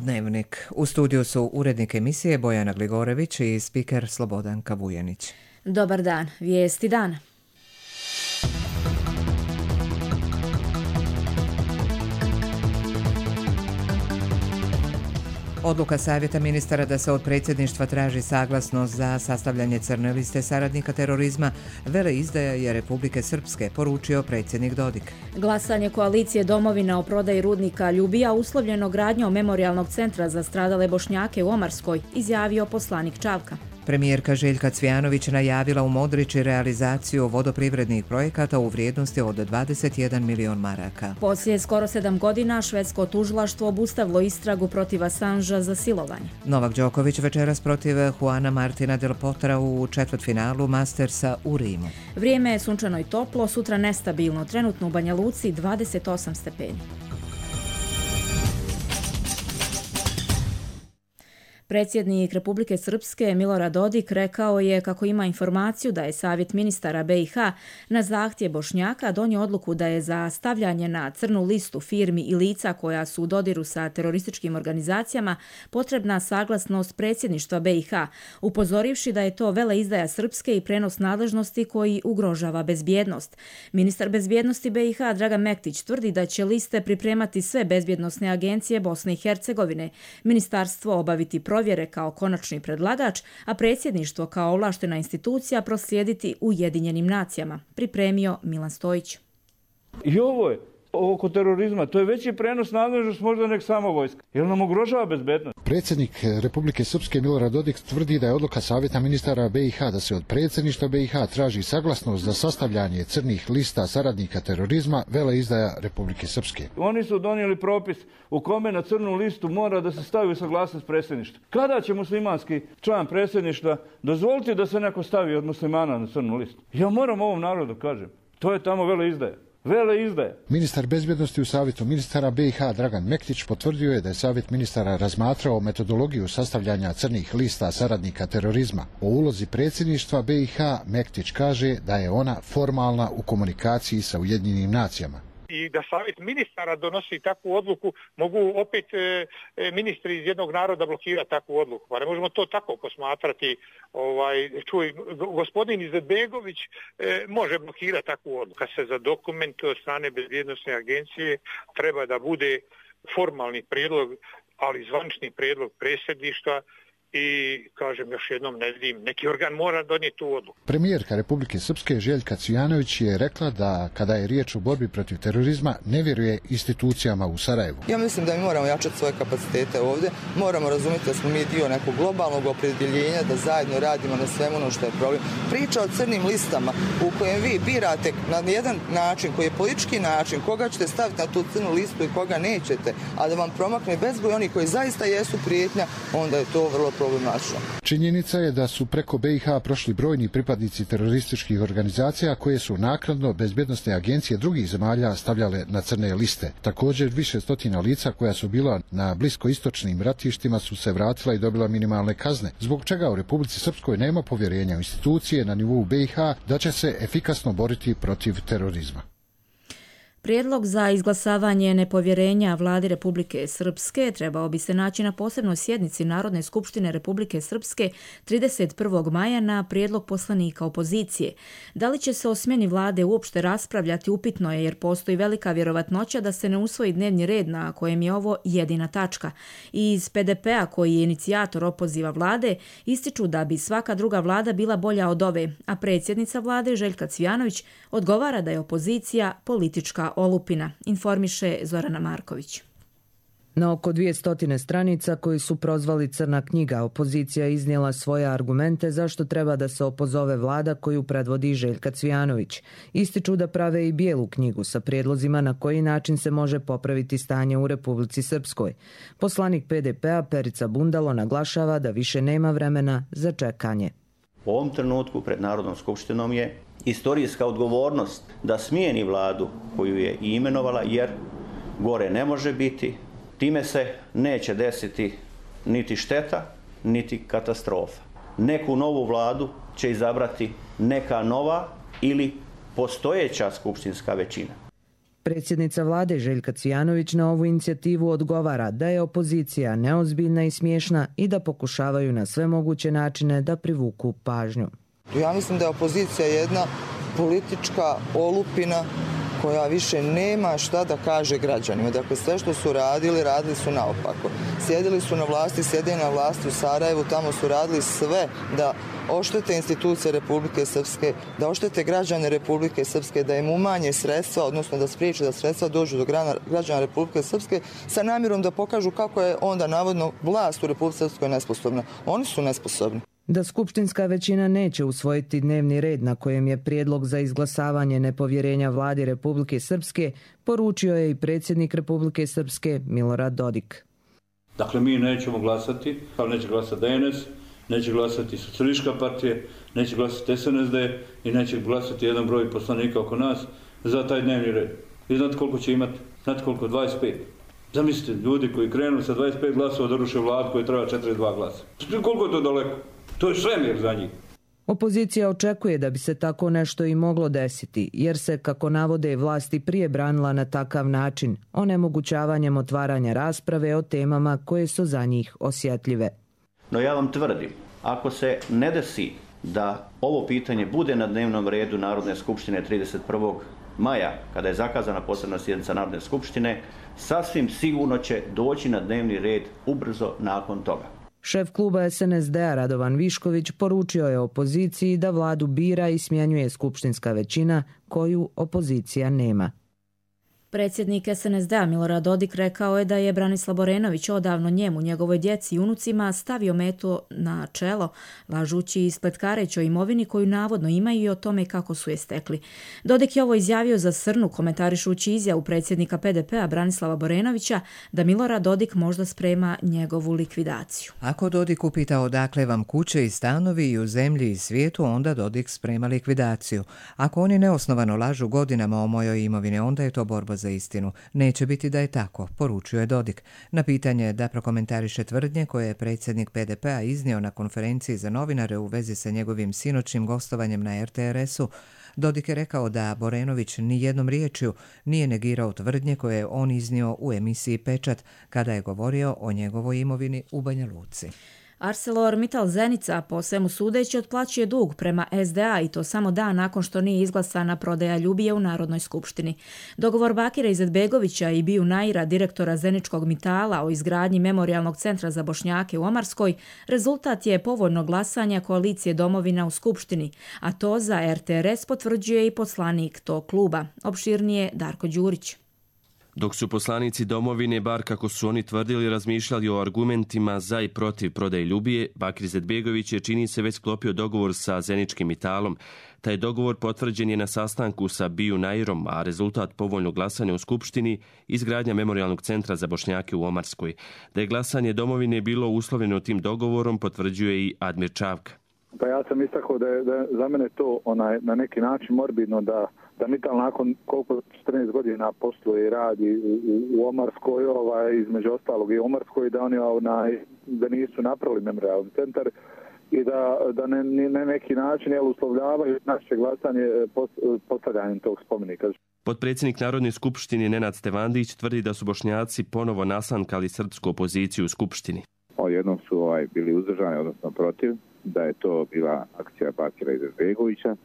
Dnevnik. U studiju su urednik emisije Bojana Gligorević i spiker Slobodanka Vujanić. Dobar dan, vijesti dana. Odluka Savjeta ministara da se od predsjedništva traži saglasnost za sastavljanje crne liste saradnika terorizma veleizdaje Republike Srpske, poručio predsjednik Dodik. Glasanje koalicije Domovina o prodaji rudnika Ljubija uslovljeno gradnjom memorijalnog centra za stradale Bošnjake u Omarskoj, izjavio poslanik Čavka. Premijerka Željka Cvijanović najavila u Modriči realizaciju vodoprivrednih projekata u vrijednosti od 21 milion maraka. Poslije skoro 7 godina švedsko tužilaštvo obustavilo istragu protiv Assangea za silovanje. Novak Đoković večeras protiv Juana Martina del Potra u četvrtfinalu Mastersa u Rimu. Vrijeme je sunčano i toplo, sutra nestabilno, trenutno u Banja Luci 28 stepeni. Predsjednik Republike Srpske Milorad Dodik rekao je kako ima informaciju da je Savjet ministara BiH na zahtjev Bošnjaka donio odluku da je za stavljanje na crnu listu firmi i lica koja su u dodiru sa terorističkim organizacijama potrebna saglasnost predsjedništva BiH, upozorivši da je to veleizdaja Srpske i prenos nadležnosti koji ugrožava bezbjednost. Ministar bezbjednosti BiH Dragan Mektić tvrdi da će liste pripremati sve bezbjednosne agencije Bosne i Hercegovine, ministarstvo obaviti provjere kao konačni predlagač, a predsjedništvo kao ovlaštena institucija proslijediti Ujedinjenim nacijama, pripremio Milan Stojić. I ovo je oko terorizma, to je veći prenos nadležnost možda nek samo vojska, jer nam ugrožava bezbednost. Predsjednik Republike Srpske Milorad Dodik tvrdi da je odluka Savjeta ministara BiH da se od predsjedništva BiH traži saglasnost za sastavljanje crnih lista saradnika terorizma veleizdaja Republike Srpske. Oni su donijeli propis u kome na crnu listu mora da se stavi u saglasnost predsjedništva. Kada će muslimanski član predsjedništva dozvoliti da se neko stavi od muslimana na crnu listu? Ja moram ovom narodu kažem, to je tamo veleizdaja. Ministar bezbjednosti u Savjetu ministara BiH Dragan Mektić potvrdio je da je Savjet ministara razmatrao metodologiju sastavljanja crnih lista saradnika terorizma. O ulozi predsjedništva BiH Mektić kaže da je ona formalna u komunikaciji sa Ujedinjenim nacijama. I da Savjet ministara donosi takvu odluku, mogu opet ministri iz jednog naroda blokirati takvu odluku. Pa ne možemo to tako posmatrati. Čuj, gospodin Izetbegović može blokirati takvu odluku. Kad se za dokument od strane bezbjednosne agencije treba da bude formalni prijedlog, ali zvanični prijedlog predsjedništva. I, kažem još jednom, ne vidim, neki organ mora donijeti tu odluku. Premijerka Republike Srpske Željka Cvijanović je rekla da kada je riječ o borbi protiv terorizma ne vjeruje institucijama u Sarajevu. Ja mislim da mi moramo jačati svoje kapacitete ovdje, moramo razumjeti da smo mi dio nekog globalnog opredjeljenja, da zajedno radimo na svemu ono što je problem. Priča o crnim listama u kojem vi birate na jedan način koji je politički način, koga ćete staviti na tu crnu listu i koga nećete, a da vam promakne bezbroj oni koji zaista jesu prijetnja, onda je to vrlo problematično. Činjenica je da su preko BiH prošli brojni pripadnici terorističkih organizacija koje su naknadno bezbjednosne agencije drugih zemalja stavljale na crne liste. Također više stotina lica koja su bila na bliskoistočnim ratištima su se vratila i dobila minimalne kazne, zbog čega u Republici Srpskoj nema povjerenja u institucije na nivou BiH da će se efikasno boriti protiv terorizma. Prijedlog za izglasavanje nepovjerenja vladi Republike Srpske trebao bi se naći na posebnoj sjednici Narodne skupštine Republike Srpske 31. maja na prijedlog poslanika opozicije. Da li će se o smjeni vlade uopšte raspravljati upitno je jer postoji velika vjerovatnoća da se ne usvoji dnevni red na kojem je ovo jedina tačka. I iz PDP-a koji je inicijator opoziva vlade ističu da bi svaka druga vlada bila bolja od ove, a predsjednica vlade Željka Cvijanović odgovara da je opozicija politička olupina, informiše Zorana Marković. Na oko 200 stranica koji su prozvali crna knjiga, opozicija iznijela svoje argumente zašto treba da se opozove vlada koju predvodi Željka Cvijanović. Ističu da prave i bijelu knjigu sa prijedlozima na koji način se može popraviti stanje u Republici Srpskoj. Poslanik PDP-a Perica Bundalo naglašava da više nema vremena za čekanje. U ovom trenutku pred Narodnom skupštinom je istorijska odgovornost da smijeni vladu koju je i imenovala, jer gore ne može biti. Time se neće desiti niti šteta, niti katastrofa. Neku novu vladu će izabrati neka nova ili postojeća skupštinska većina. Predsjednica vlade Željka Cvijanović na ovu inicijativu odgovara da je opozicija neozbiljna i smiješna i da pokušavaju na sve moguće načine da privuku pažnju. Ja mislim da je opozicija jedna politička olupina koja više nema šta da kaže građanima. Dakle, sve što su radili su naopako. Sjedili su na vlasti, sjede na vlasti u Sarajevu, tamo su radili sve da oštete institucije Republike Srpske, da oštete građane Republike Srpske, da im umanje sredstva, odnosno da spriječe da sredstva dođu do građana Republike Srpske sa namjerom da pokažu kako je onda navodno vlast u Republike Srpskoj nesposobna. Oni su nesposobni. Da skupštinska većina neće usvojiti dnevni red na kojem je prijedlog za izglasavanje nepovjerenja vladi Republike Srpske, poručio je i predsjednik Republike Srpske Milorad Dodik. Dakle, mi nećemo glasati, ali neće glasati DNS, neće glasati Socijalistička partija, neće glasati SNSD i neće glasati jedan broj poslanika oko nas za taj dnevni red. I znate koliko će imati? Znate koliko? 25. Zamislite, ljudi koji krenu sa 25 glasova da ruše vladu koji treba 42 glasa. Koliko je to daleko? To je svemir za njih. Opozicija očekuje da bi se tako nešto i moglo desiti, jer se, kako navode, vlasti prije branila na takav način, onemogućavanjem otvaranja rasprave o temama koje su za njih osjetljive. No ja vam tvrdim, ako se ne desi da ovo pitanje bude na dnevnom redu Narodne skupštine 31. maja, kada je zakazana posebna sjednica Narodne skupštine, sasvim sigurno će doći na dnevni red ubrzo nakon toga. Šef kluba SNSD-a Radovan Višković poručio je opoziciji da vladu bira i smjenjuje skupštinska većina koju opozicija nema. Predsjednik SNSD-a Milorad Dodik rekao je da je Branislav Borenović odavno njemu, njegovoj djeci i unucima stavio metu na čelo, lažući i spletkareći o imovini koju navodno imaju i o tome kako su je stekli. Dodik je ovo izjavio za Srnu, komentarišući izjavu predsjednika PDP-a Branislava Borenovića da Milorad Dodik možda sprema njegovu likvidaciju. Ako Dodik upita odakle vam kuće i stanovi i u zemlji i svijetu, onda Dodik sprema likvidaciju. Ako oni neosnovano lažu godinama o mojoj imovini, onda je to borba za istinu. Neće biti da je tako, poručio je Dodik. Na pitanje da prokomentariše tvrdnje koje je predsjednik PDP-a iznio na konferenciji za novinare u vezi sa njegovim sinoćnim gostovanjem na RTRS-u, Dodik je rekao da Borenović ni jednom riječju nije negirao tvrdnje koje je on iznio u emisiji Pečat kada je govorio o njegovoj imovini u Banja Luci. ArcelorMittal Zenica po svemu sudeći otplaćuje dug prema SDA i to samo dan nakon što nije izglasana prodaja Ljubije u Narodnoj skupštini. Dogovor Bakira Izetbegovića i Biju Naira, direktora Zeničkog Mitala o izgradnji memorijalnog centra za Bošnjake u Omarskoj, rezultat je povoljnog glasanja koalicije Domovina u skupštini, a to za RTRS potvrđuje i poslanik tog kluba. Opširnije Darko Đurić. Dok su poslanici Domovine, bar kako su oni tvrdili, razmišljali o argumentima za i protiv prodaje Ljubije, Bakir Izetbegović je, čini se, već sklopio dogovor sa Zeničkim Mitalom. Taj dogovor potvrđen je na sastanku sa Biju Nairom, a rezultat povoljnog glasanja u Skupštini izgradnja memorijalnog centra za Bošnjake u Omarskoj. Da je glasanje Domovine bilo uslovljeno tim dogovorom, potvrđuje i Admir Čavka. Pa ja sam istakao da je za mene to na neki način morbidno da Mittal nakon koliko 14 godina posluje i radi u Omarskoj, između ostalog i Omarskoj, da oni da nisu napravili memorijalni centar i da na neki način uslovljavaju naše glasanje postavljanjem tog spomenika. Potpredsjednik Narodne skupštine Nenad Stevandić tvrdi da su Bošnjaci ponovo nasankali srpsku opoziciju u skupštini. Jednom su bili uzdržani, odnosno protiv, da je to bila akcija Bakira Izetbegovića,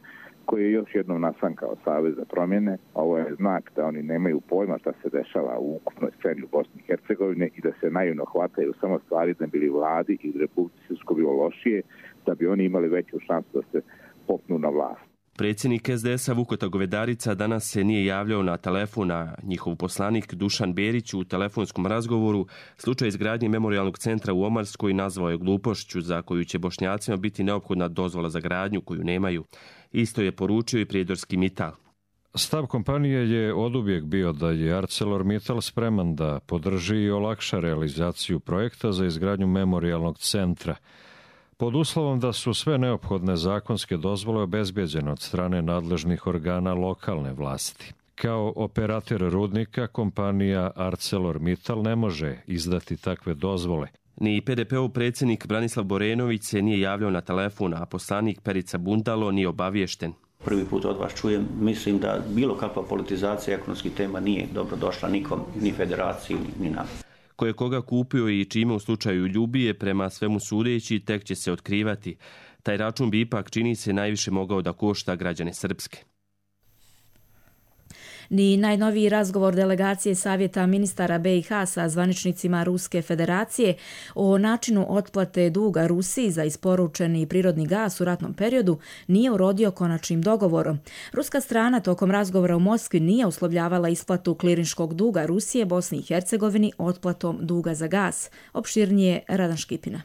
koji je još jednom nasankao Savez za promjene. Ovo je znak da oni nemaju pojma šta se dešava u ukupnoj sceni u Bosni i Hercegovine i da se naivno hvataju samo stvari da bili vladi i u Republici Srpskoj bilo lošije, da bi oni imali veću šansu da se popnu na vlast. Predsjednik SDS-a Vukota Govedarica danas se nije javljao na telefon, a njihov poslanik Dušan Berić u telefonskom razgovoru slučaj izgradnje memorijalnog centra u Omarskoj nazvao je glupošću za koju će Bošnjacima biti neophodna dozvola za gradnju koju nemaju. Isto je poručio i prijedorski Mittal. Stav kompanije je oduvijek bio da je ArcelorMittal spreman da podrži i olakša realizaciju projekta za izgradnju memorijalnog centra, pod uslovom da su sve neophodne zakonske dozvole obezbeđene od strane nadležnih organa lokalne vlasti. Kao operator rudnika, kompanija ArcelorMittal ne može izdati takve dozvole. Ni PDP-ov predsjednik Branislav Borenović se nije javljao na telefon, a poslanik Perica Bundalo nije obaviješten. Prvi put od vas čujem, mislim da bilo kakva politizacija ekonomskih tema nije dobro došla nikom, ni federaciji, ni nama. Ko je koga kupio i čime u slučaju Ljubije, prema svemu sudeći, tek će se otkrivati. Taj račun bi ipak, čini se, najviše mogao da košta građane Srpske. Ni najnoviji razgovor delegacije Savjeta ministara BiH sa zvaničnicima Ruske federacije o načinu otplate duga Rusiji za isporučeni prirodni gas u ratnom periodu nije urodio konačnim dogovorom. Ruska strana tokom razgovora u Moskvi nije uslovljavala isplatu klirinškog duga Rusije Bosni i Hercegovini otplatom duga za gas. Opširnije Radan Škipina.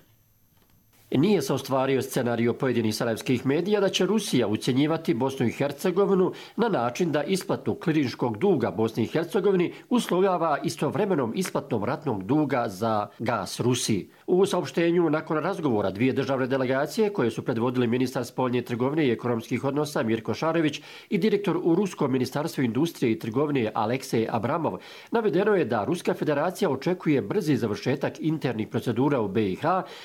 Nije se ostvario scenario pojedinih sarajevskih medija da će Rusija ucjenjivati Bosnu i Hercegovinu na način da isplatu klirinškog duga Bosni i Hercegovini uslovljava istovremenom isplatom ratnog duga za gas Rusiji. U saopštenju nakon razgovora dvije državne delegacije koje su predvodili ministar spoljne trgovine i ekonomskih odnosa Mirko Šarević i direktor u Ruskom ministarstvu industrije i trgovine Aleksej Abramov, navedeno je da Ruska federacija očekuje brzi završetak internih procedura u BiH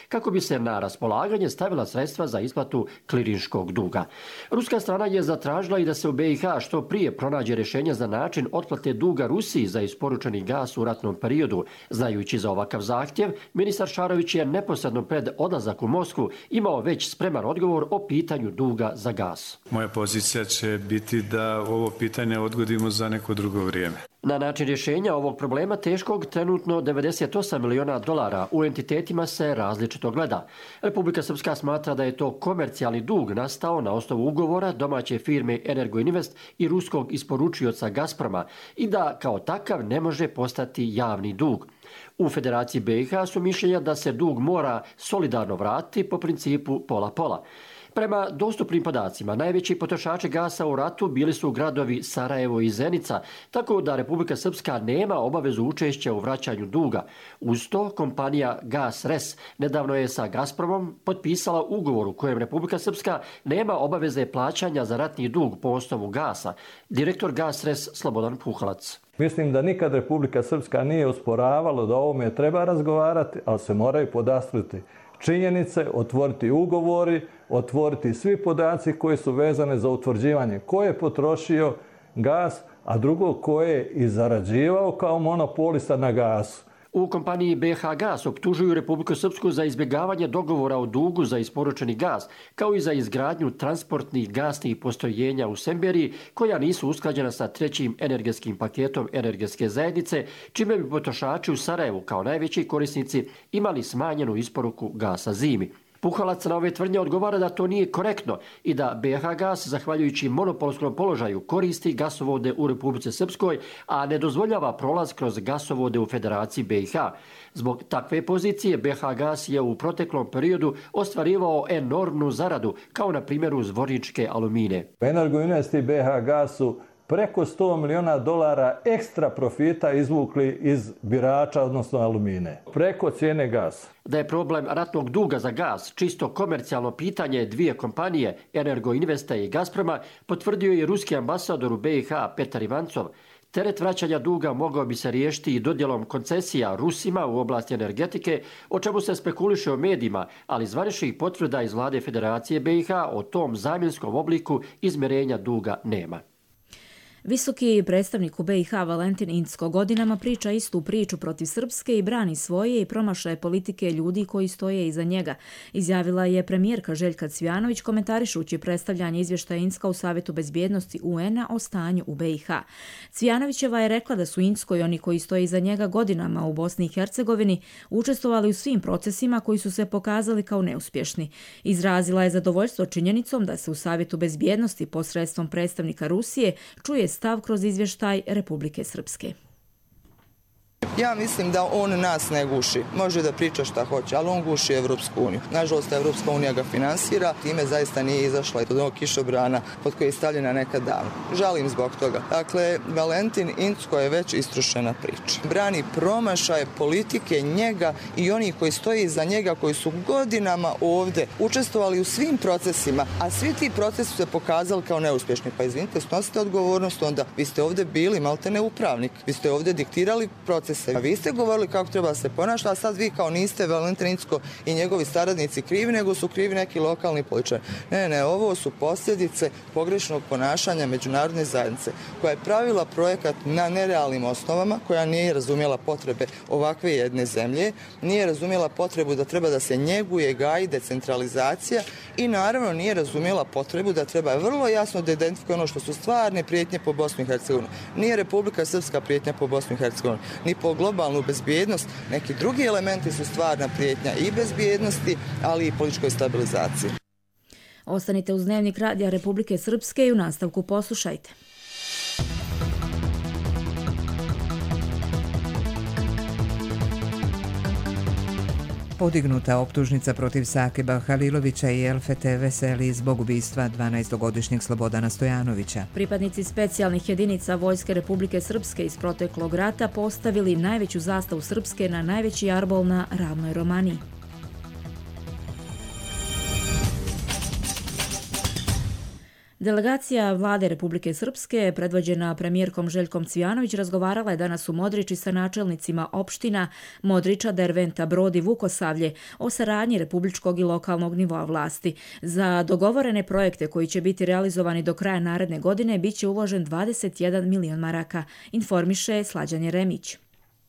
kako bi se na raspolaganje stavila sredstva za isplatu klirinškog duga. Ruska strana je zatražila i da se u BiH što prije pronađe rješenje za način otplate duga Rusiji za isporučeni gas u ratnom periodu. Znajući za ovakav zahtjev, ministar Šarović je neposredno pred odlazak u Moskvu imao već spreman odgovor o pitanju duga za gas. Moja pozicija će biti da ovo pitanje odgodimo za neko drugo vrijeme. Na način rješenja ovog problema teškog trenutno $98 miliona u entitetima se različito gleda. Republika Srpska smatra da je to komercijalni dug nastao na osnovu ugovora domaće firme Energoinvest i ruskog isporučioca Gazproma i da kao takav ne može postati javni dug. U Federaciji BiH su mišljenja da se dug mora solidarno vratiti po principu pola-pola. Prema dostupnim podacima, najveći potrošači gasa u ratu bili su gradovi Sarajevo i Zenica, tako da Republika Srpska nema obavezu učešća u vraćanju duga. Uz to, kompanija Gas Res nedavno je sa Gazpromom potpisala ugovor u kojem Republika Srpska nema obaveze plaćanja za ratni dug po osnovu gasa. Direktor Gas Res Slobodan Puhalac. Mislim da nikad Republika Srpska nije usporavala da o ovome treba razgovarati, ali se moraju podastriti činjenice, otvoriti ugovori, otvoriti svi podaci koji su vezane za utvrđivanje ko je potrošio gas, a drugo ko je i zarađivao kao monopolista na gasu. U kompaniji BH Gas optužuju Republiku Srpsku za izbjegavanje dogovora o dugu za isporučeni gas, kao i za izgradnju transportnih gasnih postrojenja u Semberiji, koja nisu usklađena sa trećim energetskim paketom energetske zajednice, čime bi potrošači u Sarajevu kao najveći korisnici imali smanjenu isporuku gasa zimi. Puhalac na ove tvrdnje odgovara da to nije korektno i da BH Gas, zahvaljujući monopolskom položaju, koristi gasovode u Republici Srpskoj, a ne dozvoljava prolaz kroz gasovode u Federaciji BiH. Zbog takve pozicije BH Gas je u proteklom periodu ostvarivao enormnu zaradu, kao na primjeru Zvorničke Alumine. Energoinvest i BH Gas su preko $100 miliona ekstra profita izvukli iz birača, odnosno Alumine, preko cijene gasa. Da je problem ratnog duga za gas čisto komercijalno pitanje dvije kompanije, Energoinvesta i Gazproma, potvrdio je ruski ambasador u BiH Petar Ivancov. Teret vraćanja duga mogao bi se riješiti i dodjelom koncesija Rusima u oblasti energetike, o čemu se spekuliše u medijima, ali zvaničnih potvrda iz vlade Federacije BiH o tom zamjenskom obliku izmjerenja duga nema. Visoki predstavnik u BiH Valentin Incko godinama priča istu priču protiv Srpske i brani svoje i promašaje politike ljudi koji stoje iza njega, izjavila je premijerka Željka Cvijanović komentarišući predstavljanje izvještaja Incka u Savjetu bezbjednosti UN-a o stanju u BiH. Cvijanovićeva je rekla da su Incko i oni koji stoje iza njega godinama u Bosni i Hercegovini učestvovali u svim procesima koji su se pokazali kao neuspješni. Izrazila je zadovoljstvo činjenicom da se u Savjetu bezbjednosti posredstvom predstavnika Rusije čuje stav kroz izvještaj Republike Srpske. Ja mislim da on nas ne guši. Može da priča šta hoće, ali on guši Evropsku uniju. Nažalost, Evropska unija ga finansira, time zaista nije izašla od onog kišobrana pod koji je stavljena nekad davno. Žalim zbog toga. Dakle, Valentin Incko je već istrušena priča. Brani promašaje politike njega i onih koji stoji iza njega, koji su godinama ovdje učestvovali u svim procesima, a svi ti procesi su se pokazali kao neuspješni. Pa izvinite, snosite odgovornost onda. Vi ste ovdje bili maltene upravnik. Vi ste ovdje diktirali proces se. Vi ste govorili kako treba se ponašati, a sad vi kao niste Valentin Incko i njegovi saradnici krivi, nego su krivi neki lokalni političari. Ne, ovo su posljedice pogrešnog ponašanja međunarodne zajednice, koja je pravila projekat na nerealnim osnovama, koja nije razumjela potrebe ovakve jedne zemlje, nije razumjela potrebu da treba da se njeguje, gaji decentralizacija i naravno nije razumjela potrebu da treba vrlo jasno da identifikuje ono što su stvarne prijetnje po Bosnu i Hercegovinu. Nije Republika Srpska prijetnja po Bosnu i Hercegovinu, ni po globalnu bezbjednost. Neki drugi elementi su stvarna prijetnja i bezbjednosti, ali i političkoj stabilizaciji. Ostanite uz Dnevnik Radija Republike Srpske i u nastavku poslušajte. Podignuta optužnica protiv Sakiba Halilovića i Elfete Veseli zbog ubistva 12-godišnjeg Slobodana Stojanovića. Pripadnici specijalnih jedinica Vojske Republike Srpske iz proteklog rata postavili najveću zastavu Srpske na najveći jarbol na Ravnoj Romaniji. Delegacija Vlade Republike Srpske, predvođena premijerkom Željkom Cvijanović, razgovarala je danas u Modriči sa načelnicima opština Modriča, Derventa, Brod i Vukosavlje o saradnji republičkog i lokalnog nivoa vlasti. Za dogovorene projekte koji će biti realizovani do kraja naredne godine biće uložen 21 milion maraka, informiše Slađan Jeremić.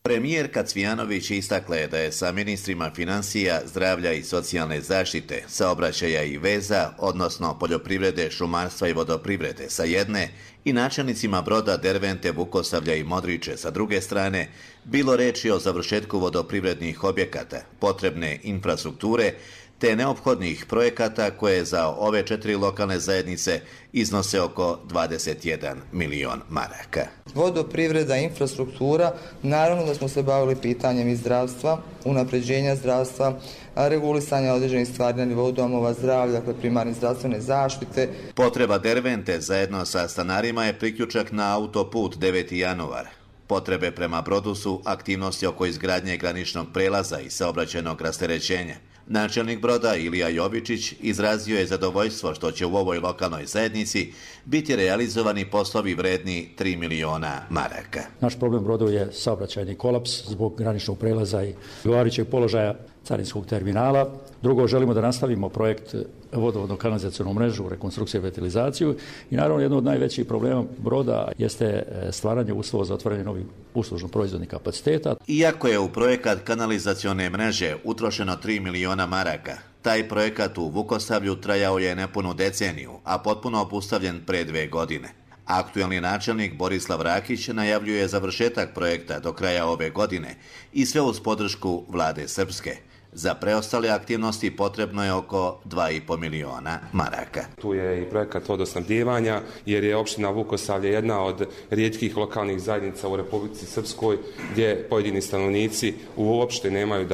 Premijerka Cvijanović istakla je da je sa ministrima financija, zdravlja i socijalne zaštite, saobraćaja i veza, odnosno poljoprivrede, šumarstva i vodoprivrede sa jedne i načelnicima Broda, Dervente, Vukosavlja i Modriče sa druge strane, bilo reči o završetku vodoprivrednih objekata, potrebne infrastrukture, te neophodnih projekata koje za ove 4 lokalne zajednice iznose oko 21 milion maraka. Vodoprivreda, infrastruktura, naravno da smo se bavili pitanjem i zdravstva, unapređenja zdravstva, regulisanja određenih stvari na nivou domova zdravlja, dakle primarne zdravstvene zaštite. Potreba Dervente zajedno sa stanarima je priključak na autoput 9. januar. Potrebe prema Brodu su aktivnosti oko izgradnje graničnog prelaza i saobraćajnog rasterećenja. Načelnik Broda Ilija Jovičić izrazio je zadovoljstvo što će u ovoj lokalnoj zajednici biti realizovani poslovi vredni 3 miliona maraka. Naš problem Brodu je saobraćajni kolaps zbog graničnog prelaza i odgovarajućeg položaja carinskog terminala. Drugo, želimo da nastavimo projekt vodovodno-kanalizacionu mrežu, rekonstrukciju i revitalizaciju i naravno jedno od najvećih problema Broda jeste stvaranje uslova za otvaranje novih uslužno-proizvodnih kapaciteta. Iako je u projekat kanalizacione mreže utrošeno 3 miliona maraka, taj projekat u Vukosavlju trajao je nepunu deceniju, a potpuno obustavljen pre 2 godine. Aktuelni načelnik Borislav Rakić najavljuje završetak projekta do kraja ove godine i sve uz podršku Vlade Srpske. Za preostale aktivnosti potrebno je oko 2,5 miliona maraka. Tu je i projekat vodosnabdijevanja, jer je opština Vukosavlje jedna od rijetkih lokalnih zajednica u Republici Srpskoj gdje pojedini stanovnici uopšte nemaju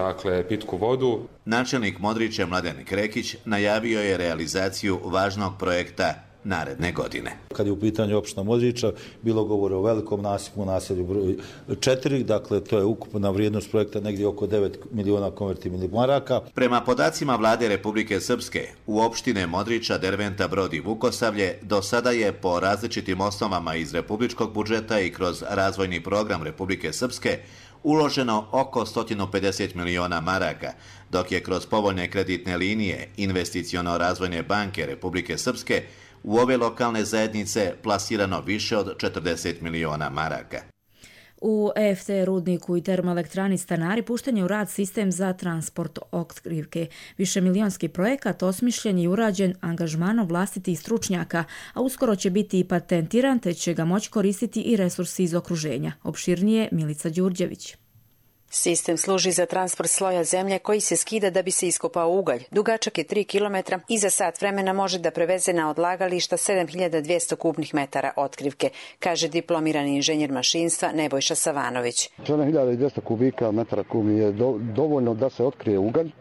pitku vodu. Načelnik Modriče Mladen Krekić najavio je realizaciju važnog projekta naredne godine. Kad je u pitanju opština Modriča, bilo govore o velikom nasipu, naselju broj 4, dakle to je ukupna vrijednost projekta negdje oko 9 miliona konvertibilnih maraka. Prema podacima Vlade Republike Srpske, u opštine Modriča, Derventa, Brod i Vukosavlje do sada je po različitim osnovama iz republičkog budžeta i kroz razvojni program Republike Srpske uloženo oko 150 miliona maraka, dok je kroz povoljne kreditne linije Investiciono-razvojne banke Republike Srpske u ove lokalne zajednice plasirano više od 40 miliona maraka. U EFT rudniku i termoelektrani Stanari pušten je u rad sistem za transport otkrivke. Višemilionski projekat osmišljen i urađen angažmanom vlastitih stručnjaka, a uskoro će biti i patentiran, te će ga moći koristiti i resursi iz okruženja. Opširnije Milica Đurđević. Sistem služi za transport sloja zemlje koji se skida da bi se iskopao ugalj. Dugačak je 3 km i za sat vremena može da preveze na odlagališta 7200 kubnih metara otkrivke, kaže diplomirani inženjer mašinstva Nebojša Savanović. 7200 kubika metara kubnih je dovoljno da se otkrije ugalj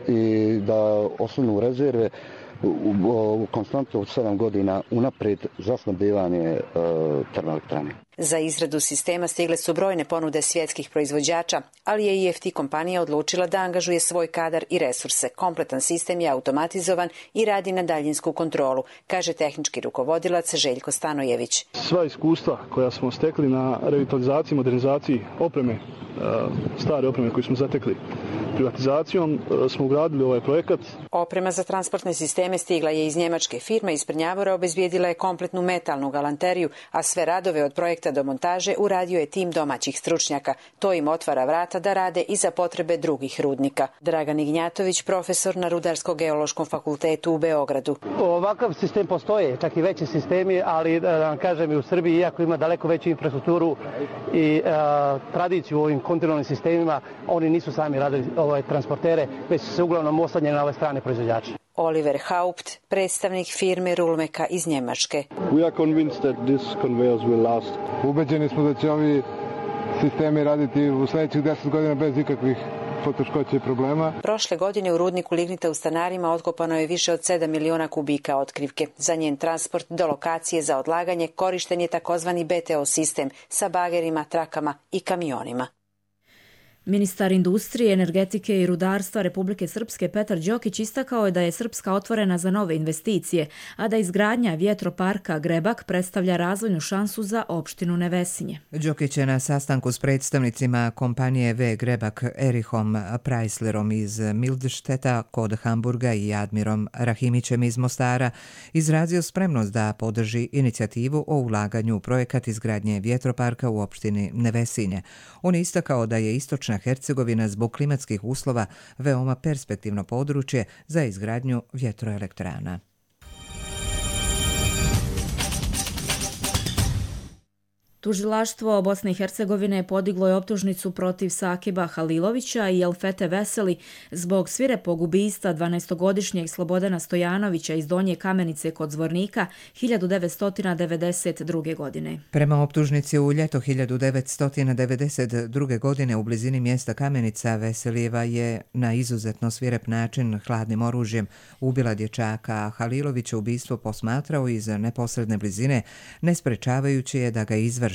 i da osnovnu rezerve u konstantu od 7 godina unaprijed za snabdijevanje termoelektrane. Za izradu sistema stigle su brojne ponude svjetskih proizvođača, ali je IFT kompanija odlučila da angažuje svoj kadar i resurse. Kompletan sistem je automatizovan i radi na daljinsku kontrolu, kaže tehnički rukovodilac Željko Stanojević. Sva iskustva koja smo stekli na revitalizaciji, modernizaciji opreme, stare opreme koju smo zatekli privatizacijom, smo ugradili ovaj projekat. Oprema za transportne sisteme stigla je iz njemačke firme. Iz Prnjavora obezbijedila je kompletnu metalnu galanteriju, a sve radove od projekta do montaže uradio je tim domaćih stručnjaka. To im otvara vrata da rade i za potrebe drugih rudnika. Dragan Ignjatović, profesor na Rudarsko-geološkom fakultetu u Beogradu. Ovakav sistem postoje, čak i veći sistemi, ali da vam kažem i u Srbiji, iako ima daleko veću infrastrukturu i tradiciju u ovim kontinualnim sistemima, oni nisu sami radili transportere, već su se uglavnom oslanjeni na ove strane proizvođače. Oliver Haupt, predstavnik firme Rulmeka iz Njemačke. Ubeđeni smo da će ovi sistemi raditi u sljedećih 10 godina bez ikakvih poteškoća i problema. Prošle godine u rudniku lignita u Stanarima otkopano je više od 7 miliona kubika otkrivke. Za njen transport do lokacije za odlaganje korišten je takozvani BTO sistem sa bagerima, trakama i kamionima. Ministar industrije, energetike i rudarstva Republike Srpske Petar Đokić istakao je da je Srpska otvorena za nove investicije, a da izgradnja vjetroparka Grebak predstavlja razvojnu šansu za opštinu Nevesinje. Đokić je na sastanku s predstavnicima kompanije V Grebak Erihom Preislerom iz Mildšteta kod Hamburga i Admirom Rahimićem iz Mostara izrazio spremnost da podrži inicijativu o ulaganju u projekat izgradnje vjetroparka u opštini Nevesinje. On je istakao da je istočna Hercegovina zbog klimatskih uslova veoma perspektivno područje za izgradnju vjetroelektrana. Tužilaštvo Bosne i Hercegovine podiglo je optužnicu protiv Sakiba Halilovića i Elfete Veseli zbog svirepog ubistva 12-godišnjeg Slobodana Stojanovića iz Donje Kamenice kod Zvornika 1992. godine. Prema optužnici u ljeto 1992. godine u blizini mjesta Kamenica Veselijeva je na izuzetno svirep način hladnim oružjem ubila dječaka, a Halilovića ubistvo posmatrao iz neposredne blizine, ne sprečavajući je da ga izvrši,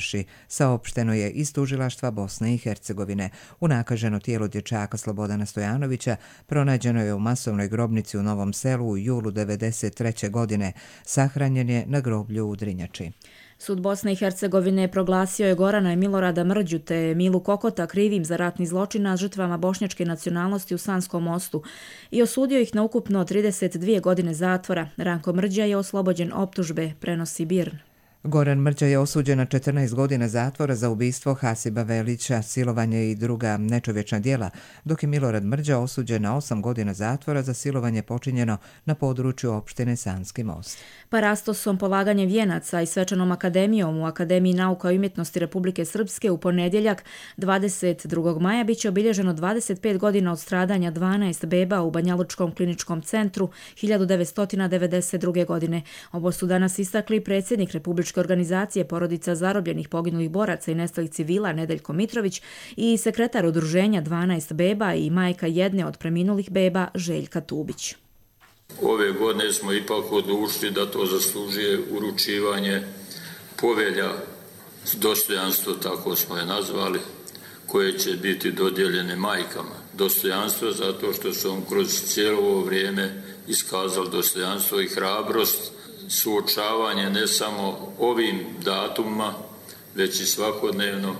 saopšteno je iz tužilaštva Bosne i Hercegovine. Unakaženo tijelo dječaka Slobodana Stojanovića pronađeno je u masovnoj grobnici u Novom Selu u julu 1993. godine. Sahranjen je na groblju u Drinjači. Sud Bosne i Hercegovine proglasio je Gorana i Milorada Mrđu te Milu Kokota krivim za ratni zločin nad žrtvama bošnjačke nacionalnosti u Sanskom Mostu i osudio ih na ukupno 32 godine zatvora. Ranko Mrđa je oslobođen optužbe, prenosi BIRN. Goran Mrđa je osuđen na 14 godina zatvora za ubistvo Hasiba Velića, silovanje i druga nečovječna djela, dok je Milorad Mrđa osuđen na 8 godina zatvora za silovanje počinjeno na području opštine Sanski Most. Parastosom, polaganjem vijenaca i svečanom akademijom u Akademiji nauka i umjetnosti Republike Srpske u ponedjeljak 22. maja biće obilježeno 25 godina od stradanja 12 beba u Banjalučkom kliničkom centru 1992. godine. Ovo su danas istakli predsjednik Republičke organizacije porodica zarobljenih poginulih boraca i nestalih civila Nedeljko Mitrović i sekretar udruženja 12 beba i majka jedne od preminulih beba Željka Tubić. Ove godine smo ipak odlučili da to zaslužuje uručivanje povelja dostojanstvo, tako smo je nazvali, koje će biti dodijeljene majkama. Dostojanstvo zato što su on kroz cijelo ovo vrijeme iskazali dostojanstvo i hrabrost, suočavanje ne samo ovim datumima, već i svakodnevno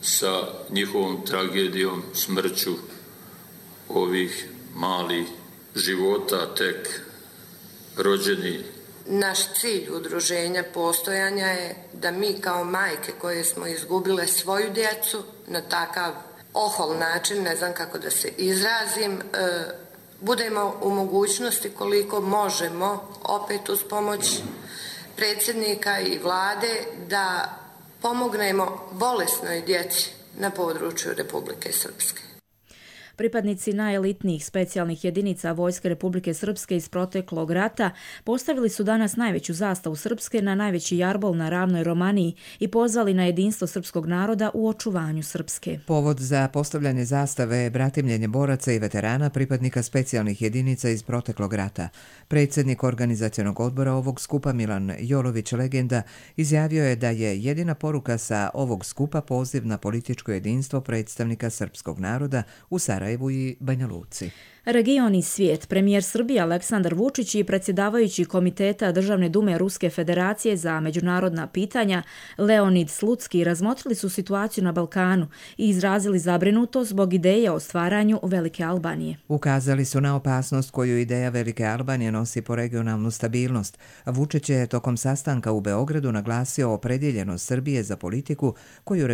sa njihovom tragedijom, smrću ovih malih života tek rođeni. Naš cilj udruženja postojanja je da mi kao majke koje smo izgubile svoju djecu na takav ohol način, ne znam kako da se izrazim, budemo u mogućnosti koliko možemo, opet uz pomoć predsjednika i vlade, da pomognemo bolesnoj djeci na području Republike Srpske. Pripadnici najelitnijih specijalnih jedinica Vojske Republike Srpske iz proteklog rata postavili su danas najveću zastavu Srpske na najveći jarbol na ravnoj Romaniji i pozvali na jedinstvo srpskog naroda u očuvanju Srpske. Povod za postavljanje zastave je bratimljenje boraca i veterana pripadnika specijalnih jedinica iz proteklog rata. Predsjednik organizacionog odbora ovog skupa Milan Jolović Legenda izjavio je da je jedina poruka sa ovog skupa poziv na političko jedinstvo predstavnika srpskog naroda u Sarajevu i Banja Luci. Region i svijet, premijer Srbije Aleksandar Vučić i predsjedavajući Komiteta Državne dume Ruske federacije za međunarodna pitanja Leonid Slutski razmotrili su situaciju na Balkanu i izrazili zabrinutost zbog ideje o stvaranju Velike Albanije. Ukazali su na opasnost koju ideja Velike Albanije nosi po regionalnu stabilnost. Vučić je tokom sastanka u Beogradu naglasio opredjeljenost Srbije za politiku koju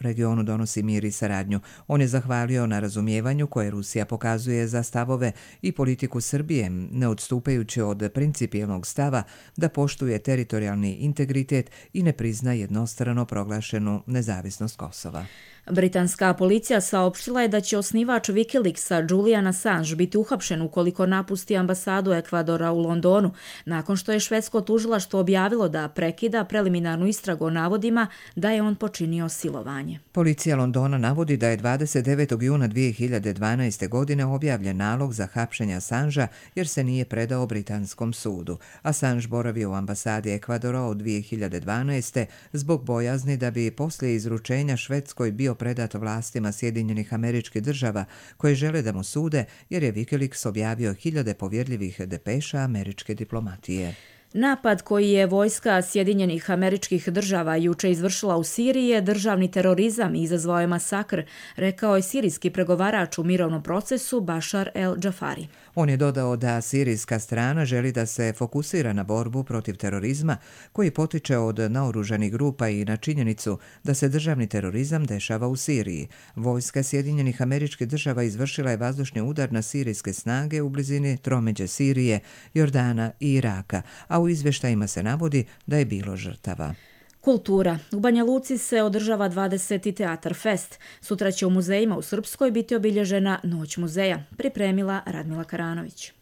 regionu donosi mir i saradnju. On je zahvalio na razumijevanju koje Rusija pokazuje za stavove i politiku Srbije, ne odstupajući od principijelnog stava da poštuje teritorijalni integritet i ne prizna jednostrano proglašenu nezavisnost Kosova. Britanska policija saopštila je da će osnivač Wikileaksa Julian Assange biti uhapšen ukoliko napusti ambasadu Ekvadora u Londonu, nakon što je švedsko tužilaštvo objavilo da prekida preliminarnu istragu o navodima da je on počinio silovanje. Policija Londona navodi da je 29. juna 2012. godine objavljen nalog za hapšenje Assangea jer se nije predao britanskom sudu. Assange boravio u ambasadi Ekvadora od 2012. zbog bojazni da bi poslije izručenja Švedskoj bio predat vlastima Sjedinjenih Američkih Država koje žele da mu sude jer je Wikileaks objavio hiljade povjerljivih depeša američke diplomatije. Napad koji je vojska Sjedinjenih Američkih Država juče izvršila u Siriji je državni terorizam i izazvao je masakr, rekao je sirijski pregovarač u mirovnom procesu Bashar el-Džafari. On je dodao da sirijska strana želi da se fokusira na borbu protiv terorizma koji potiče od naoružanih grupa i na činjenicu da se državni terorizam dešava u Siriji. Vojska Sjedinjenih Američkih Država izvršila je vazdušni udar na sirijske snage u blizini tromeđe Sirije, Jordana i Iraka, a u izvještajima se navodi da je bilo žrtava. Kultura. U Banja Luci se održava 20. Teatar Fest. Sutra će u muzejima u Srpskoj biti obilježena Noć muzeja, pripremila Radmila Karanović.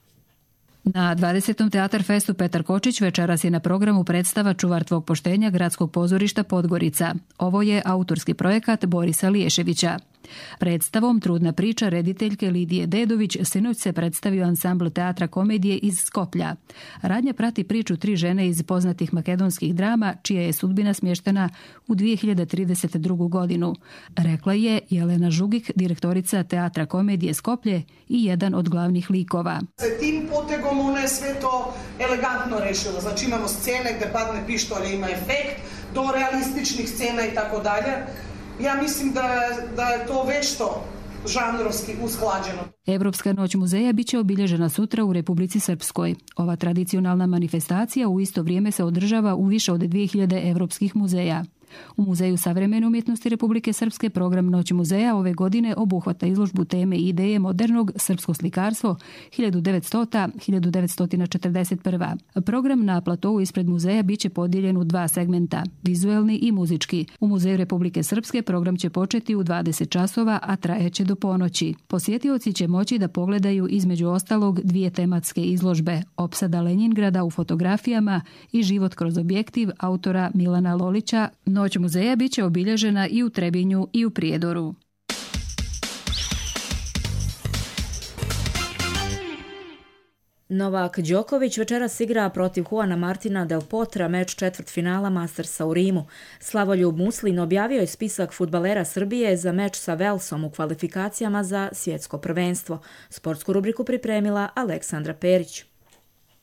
Na 20. Teatar Festu Petar Kočić večeras je na programu predstava Čuvar tvog poštenja Gradskog pozorišta Podgorica. Ovo je autorski projekat Borisa Liješevića. Predstavom Trudna priča rediteljke Lidije Dedović sinoć se predstavio ansambl teatra komedije iz Skoplja. Radnja prati priču 3 žene iz poznatih makedonskih drama, čija je sudbina smještena u 2032. godinu. Rekla je Jelena Žugik, direktorica teatra komedije Skoplje i jedan od glavnih likova. Se tim potegom ona je sve to elegantno rešila. Znači imamo scene gde padne pištolj, ima efekt, do realističnih scena i tako dalje. Ja mislim da je to vešto žanrovski usklađeno. Evropska noć muzeja biće obilježena sutra u Republici Srpskoj. Ova tradicionalna manifestacija u isto vrijeme se održava u više od 2000 evropskih muzeja. U Muzeju savremene umjetnosti Republike Srpske program Noć muzeja ove godine obuhvata izložbu teme i ideje modernog srpsko slikarstvo 1900-1941. Program na platovu ispred muzeja biće podijeljen u 2 segmenta, vizuelni i muzički. U Muzeju Republike Srpske program će početi u 20 časova, a trajeće do ponoći. Posjetioci će moći da pogledaju između ostalog 2 tematske izložbe, opsada Lenjingrada u fotografijama i život kroz objektiv autora Milana Lolića. Noć muzeja biće obilježena i u Trebinju i u Prijedoru. Novak Đoković večeras igra protiv Juana Martina del Potra meč četvrtfinala Mastersa u Rimu. Slavoljub Muslin objavio je spisak fudbalera Srbije za meč sa Velsom u kvalifikacijama za svjetsko prvenstvo. Sportsku rubriku pripremila Aleksandra Perić.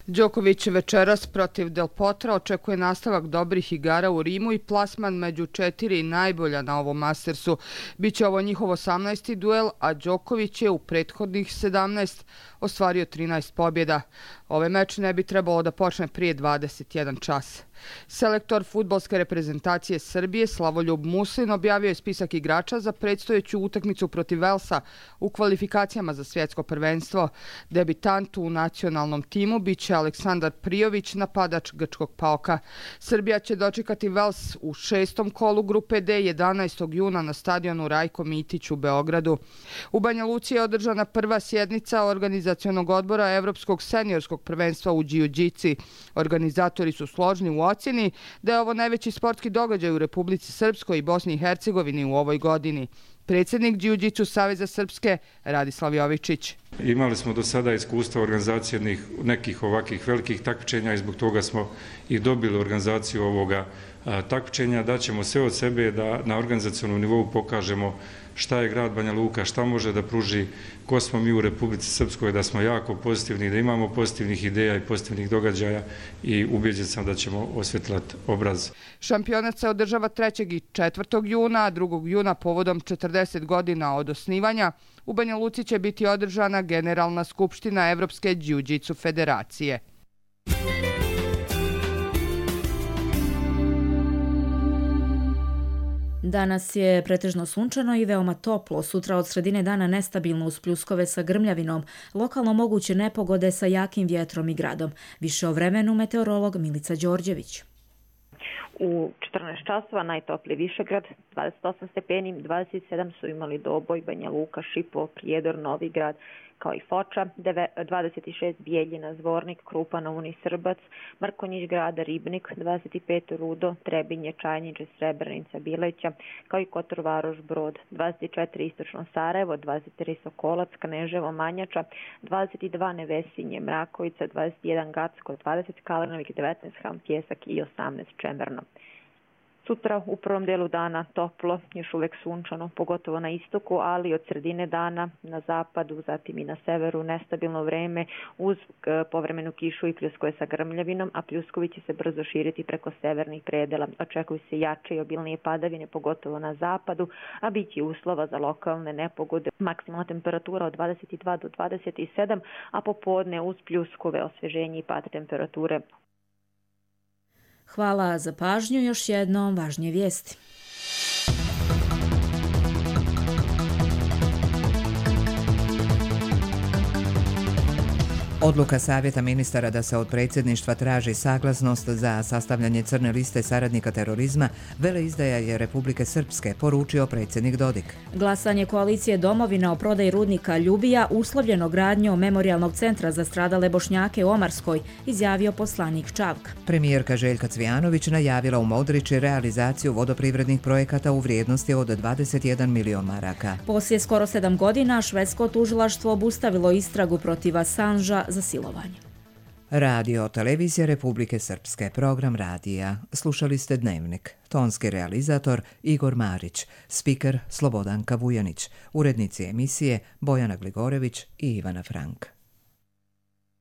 Đoković večeras protiv Del Potra očekuje nastavak dobrih igara u Rimu i plasman među 4 najbolja na ovom Mastersu. Biće ovo njihov 18. duel, a Đoković je u prethodnih 17 ostvario 13 pobjeda. Ovaj meč ne bi trebalo da počne prije 21 čas. Selektor fudbalske reprezentacije Srbije Slavoljub Muslin objavio je spisak igrača za predstojeću utakmicu protiv Velsa u kvalifikacijama za svjetsko prvenstvo. Debitant u nacionalnom timu biće Aleksandar Prijović, napadač Grčkog PAOK-a. Srbija će dočekati Vels u 6. kolu grupe D 11. juna na stadionu Rajko Mitić u Beogradu. U Banja Luci je održana prva sjednica organizacionog odbora Evropskog seniorskog prvenstva u džiu-džici. Organizatori su složni u ocjeni da je ovo najveći sportski događaj u Republici Srpskoj i Bosni i Hercegovini u ovoj godini. Predsjednik Džiu-džicu Saveza Srpske Radislav Jovičić. Imali smo do sada iskustva organizacije nekih ovakvih velikih takmičenja i zbog toga smo i dobili organizaciju ovoga takmičenja. Daćemo sve od sebe da na organizacionom nivou pokažemo šta je grad Banja Luka, šta može da pruži, ko smo mi u Republici Srpskoj, da smo jako pozitivni, da imamo pozitivnih ideja i pozitivnih događaja i ubeđen sam da ćemo osvjetlati obraz. Šampionat se održava 3. i 4. juna, a 2. juna povodom 40 godina od osnivanja u Banja Luci će biti održana Generalna skupština Evropske džiu-džicu federacije. Danas je pretežno sunčano i veoma toplo, sutra od sredine dana nestabilno uz pljuskove sa grmljavinom, lokalno moguće nepogode sa jakim vjetrom i gradom. Više o vremenu meteorolog Milica Đorđević. U 14 časova najtopliji Višegrad, 28 stepeni, 27 su imali Doboj, Banja Luka, Šipovo, Prijedor, Novi Grad, kao i Foča, 26 Bijeljina, Zvornik, Krupa, Nouni, Srbac, Mrkonjić grada, Ribnik, 25 Rudo, Trebinje, Čajniče, Srebrenica, Bileća, kao i Kotor, Varoš, Brod, 24 Istočno Sarajevo, 23 Sokolac, Kneževo, Manjača, 22 Nevesinje, Mrakovica, 21 Gacko, 20 Kalenovik, 19 Ham Pjesak i 18 Čemerno. Sutra u prvom delu dana toplo, još uvijek sunčano, pogotovo na istoku, ali od sredine dana na zapadu, zatim i na severu nestabilno vreme uz povremenu kišu i pljuskove sa grmljavinom, a pljuskovi će se brzo širiti preko severnih predela. Očekuju se jače i obilnije padavine, pogotovo na zapadu, a bit će uslova za lokalne nepogode. Maksimalna temperatura od 22 do 27, a popodne uz pljuskove, osveženje i pad temperature. Hvala za pažnju, još jednom važnije vijesti. Odluka Savjeta ministara da se od predsjedništva traži saglasnost za sastavljanje crne liste saradnika terorizma veleizdaja je Republike Srpske, poručio predsjednik Dodik. Glasanje koalicije Domovina o prodaji rudnika Ljubija uslovljeno gradnjom memorijalnog centra za stradale Bošnjake u Omarskoj, izjavio poslanik Čavka. Premijerka Željka Cvijanović najavila u Modriči realizaciju vodoprivrednih projekata u vrijednosti od 21 milion maraka. Poslije skoro 7 godina švedsko tužilaštvo obustavilo istragu protiv Assangea za silovanje. Radio televizija Republike Srpske, program radija. Slušali ste Dnevnik. Tonski realizator Igor Marić, spiker Slobodanka Vujanić, urednici emisije Bojana Gligorević i Ivana Frank.